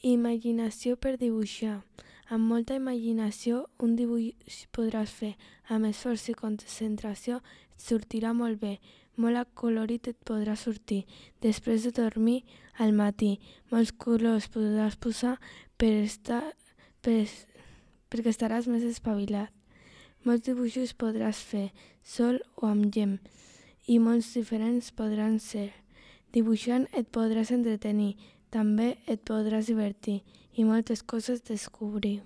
Imaginació per dibuixar. Amb molta imaginació un dibuix podràs fer. Amb esforç i concentració et sortirà molt bé. Molt acolorit et podrà sortir. Després de dormir al matí. Molts colors podràs posar perquè estaràs més espavilat. Molts dibuixos podràs fer, sol o amb llim, i molts diferents podran ser. Dibuixant et podràs entretenir, també et podràs divertir i moltes coses descobrir.